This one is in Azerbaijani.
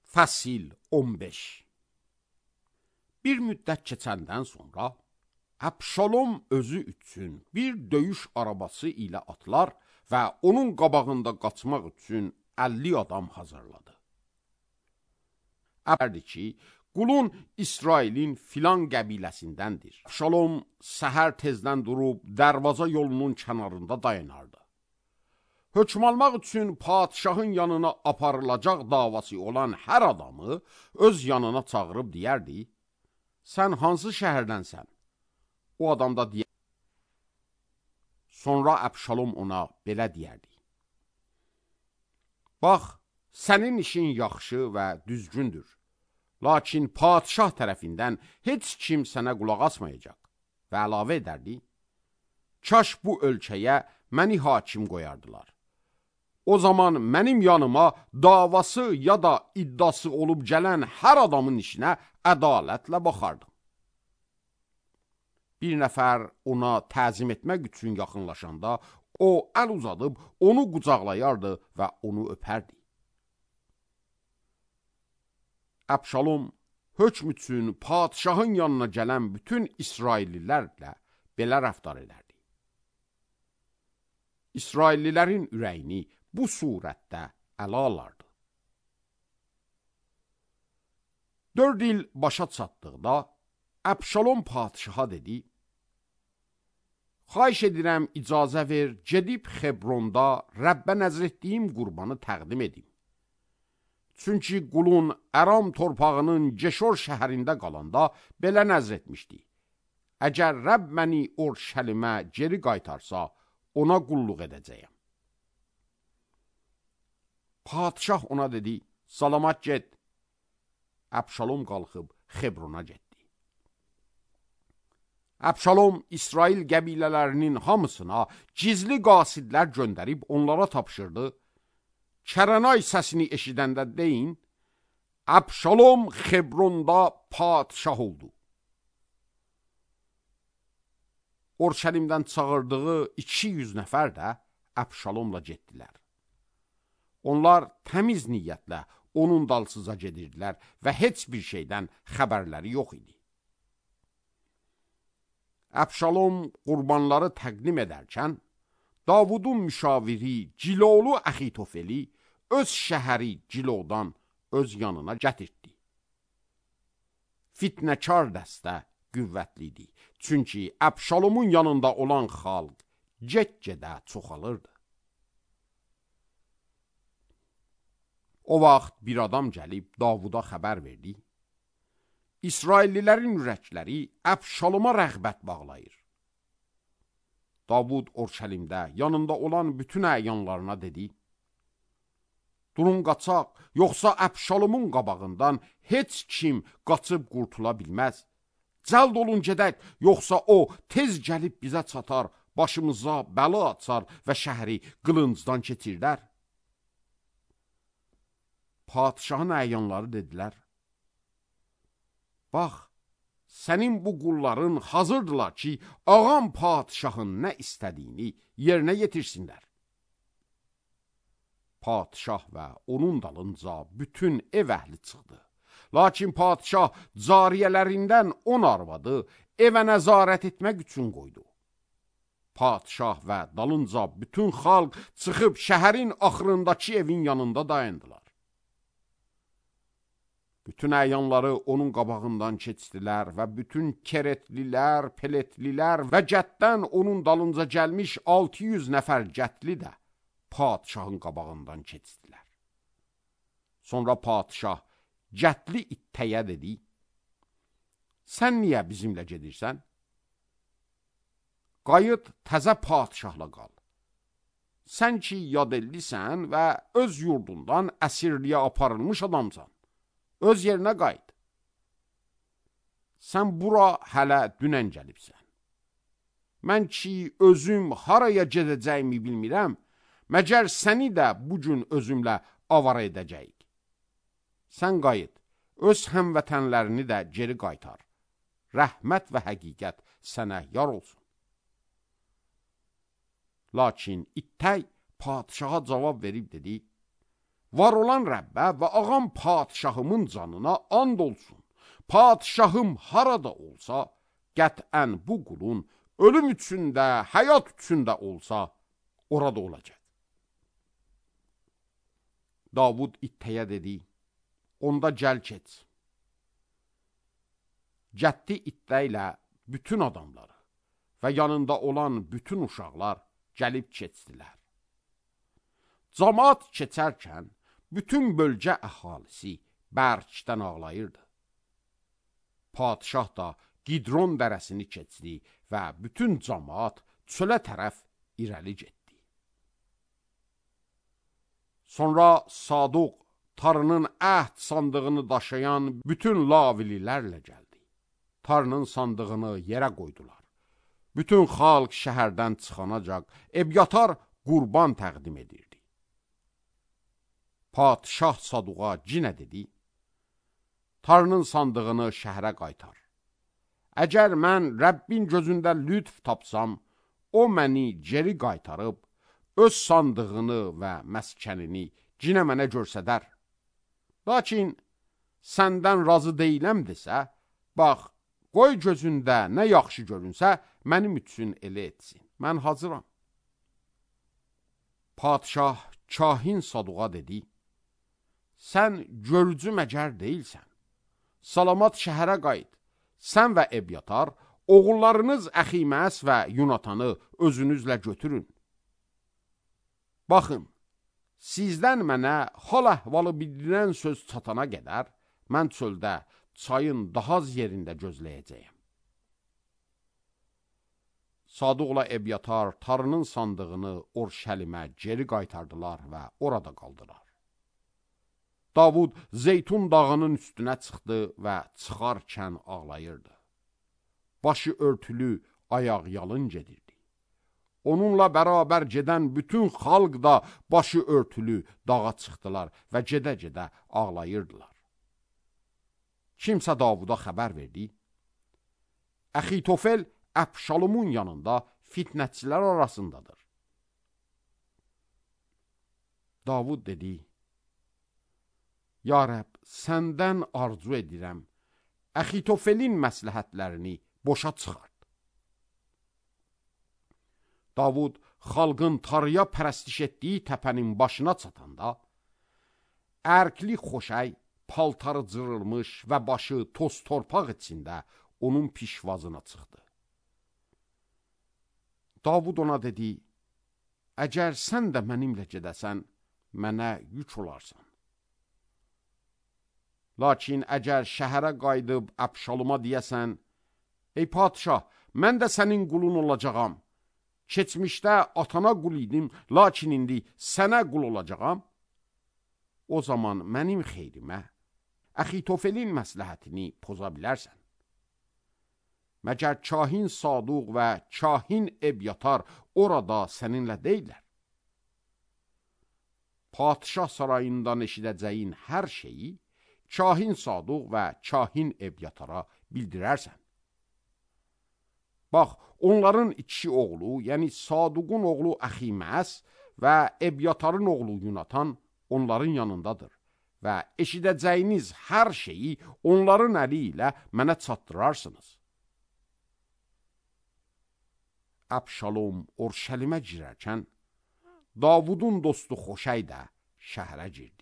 Fəsil 15. Bir müddət keçəndən sonra Əbşalom özü üçün bir döyüş arabası ilə atlar və onun qabağında qaçmaq üçün 50 adam hazırladı. Əbərdi ki, qulun İsrailin filan qəbiləsindəndir. Əbşalom səhər tezdən durub dərvaza yolunun kənarında dayanardı. Hökm almaq üçün padişahın yanına aparılacaq davası olan hər adamı öz yanına çağırıb deyərdi, sən hansı şəhərdənsən? O adam da deyərdi. Sonra Əbşalom ona belə deyərdi. Bax, sənin işin yaxşı və düzgündür. Lakin padişah tərəfindən heç kim sənə qulaq asmayacaq. Və əlavə edərdi, kaş bu ölkəyə məni hakim qoyardılar. O zaman mənim yanıma davası ya da iddiası olub gələn hər adamın işinə ədalətlə baxardım. Bir nəfər ona təzim etmək üçün yaxınlaşanda, o əl uzadıb onu qucaqlayardı və onu öpərdi. Əbşalom hökm üçün padişahın yanına gələn bütün İsraillilərlə belə rəftar edərdi. İsraillilərin ürəyini bu surətdə ələ alardı. 4 il başa çatdıqda Əbşalom padişaha dedi, xahiş edirəm icazə ver, gedib Xebronda Rəbbə nəzr etdiyim qurbanı təqdim edim. Çünki qulun Əram torpağının Ceşor şəhərində qalanda belə nəzr etmişdi. Əgər Rəbb məni Orşəlimə geri qaytarsa, ona qulluq edəcəyəm. Padişah ona dedi, salamat get. Əbşalom qalxıb Xebrona getdi. Əbşalom İsrail qəbilələrinin hamısına gizli qasidlər göndərib onlara tapşırdı. Kərənay səsini eşidəndə deyin, Əbşalom Xebronda padişah oldu. Orşəlimdən çağırdığı 200 nəfər də Əbşalomla getdilər. Onlar təmiz niyyətlə onun dalsıza gedirdilər və heç bir şeydən xəbərləri yox idi. Əbşalom qurbanları təqdim edərkən, Davudun müşaviri Cilolu Əxitofeli öz şəhəri Cilodan öz yanına gətirdi. Fitnəkar dəstə qüvvətli idi, çünki Əbşalomun yanında olan xalq get-gedə çoxalırdı. O vaxt bir adam gəlib Davuda xəbər verdi. İsraillilərin ürəkləri Əbşaloma rəğbət bağlayır. Davud Orşəlimdə yanında olan bütün əyanlarına dedi, durun qaçaq, yoxsa Əbşalomun qabağından heç kim qaçıb qurtula bilməz. Cəld olun gedək, yoxsa o tez gəlib bizə çatar, başımıza bəla açar və şəhəri qılıncdan keçirdər. Padişahın əyanları dedilər, bax, sənin bu qulların hazırdılar ki, ağam padişahın nə istədiyini yerinə yetirsinlər. Padişah və onun dalınca bütün ev əhli çıxdı. Lakin padişah cariyələrindən 10 arvadı evə nəzarət etmək üçün qoydu. Padişah və dalınca bütün xalq çıxıb şəhərin axırındakı evin yanında dayandılar. Bütün əyanları onun qabağından keçdilər və bütün keretlilər, peletlilər və cətdən onun dalınca gəlmiş 600 nəfər cətli də padişahın qabağından keçdilər. Sonra padişah cətli ittəyə dedi, sən niyə bizimlə gedirsən? Qayıt təzə padişahla qal. Sən ki yadellisən və öz yurdundan əsirliyə aparılmış adamsan. Öz yerinə qayıt. Sən bura hələ dünən gəlibsən. Mən ki özüm haraya gedəcəyimi bilmirəm, məgər səni də bugün özümlə avara edəcəyik. Sən qayıt, öz həmvətənlərini də geri qaytar. Rəhmət və həqiqət sənə yar olsun. Lakin ittək padişaha cavab verib dedi, var olan Rəbbə və ağam padişahımın canına and olsun. Padişahım harada olsa, qətən bu qulun ölüm üçün də, həyat üçün də olsa, orada olacaq. Davud ittəyə dedi, onda gəl keç. Cəddi ittə ilə bütün adamları və yanında olan bütün uşaqlar gəlib keçdilər. Camaat keçərkən, bütün bölgə əhalisi bərkdən ağlayırdı. Padişah da Qidron dərəsini keçdi və bütün camaat çölə tərəf irəli getdi. Sonra Saduq Tanrının əhd sandığını daşıyan bütün lavililərlə gəldi. Tanrının sandığını yerə qoydular. Bütün xalq şəhərdən çıxanacaq Ebyatar qurban təqdim edirdi. Padişah Saduqa cinə dedi, Tanrının sandığını şəhərə qaytar. Əgər mən Rəbbin gözündə lütf tapsam, o məni geri qaytarıb, öz sandığını və məskənini cinə mənə görsədər. Lakin səndən razı deyiləm desə, bax, qoy gözündə nə yaxşı görünsə, mənim üçün elə etsin. Mən hazıram. Padişah kahin Saduqa dedi, sən görücü məcər deyilsən. Salamat şəhərə qayıt. Sən və Ebyatar, oğullarınız Əximəs və Yunatanı özünüzlə götürün. Baxın, sizdən mənə hal əhvalı bildirən söz çatana qədər, mən çöldə çayın daha az yerində gözləyəcəyəm. Saduqla Ebyatar Tanrının sandığını Orşəlimə geri qaytardılar və orada qaldılar. Davud Zeytun dağının üstünə çıxdı və çıxarkən ağlayırdı. Başı örtülü, ayaq yalın gedirdi. Onunla bərabər gedən bütün xalq da başı örtülü dağa çıxdılar və gedə-gedə ağlayırdılar. Kimsə Davuda xəbər verdi. Əxitofel Əbşalomun yanında fitnətçilər arasındadır. Davud dedi, Ya Rəbb, səndən arzu edirəm, Əxitofelin məsləhətlərini boşa çıxart. Davud xalqın Tanrıya pərəstiş etdiyi təpənin başına çatanda, ərkli xoşəy, paltarı cırılmış və başı toz torpaq içində onun pişvazına çıxdı. Davud ona dedi, əgər sən də mənimlə gedəsən, mənə yük olarsan. Lakin əgər şəhərə qayıdıb Əbşaloma deyəsən, ey padişah, mən də sənin qulun olacağam. Keçmişdə atana qul idim, lakin indi sənə qul olacağam. O zaman mənim xeyrimə, Əxitofelin məsləhətini poza bilərsən. Məgər kahin Saduq və kahin Ebyatar orada səninlə deyilər. Padişah sarayından eşidəcəyin hər şeyi kahin Saduq və kahin Ebyatara bildirərsən. Bax, onların iki oğlu, yəni Saduqun oğlu Əximəs və Ebyatarın oğlu Yunatan onların yanındadır və eşidəcəyiniz hər şeyi onların əli ilə mənə çatdırarsınız. Əbşalom Orşəlimə girərkən, Davudun dostu Xoşəy də şəhərə girdi.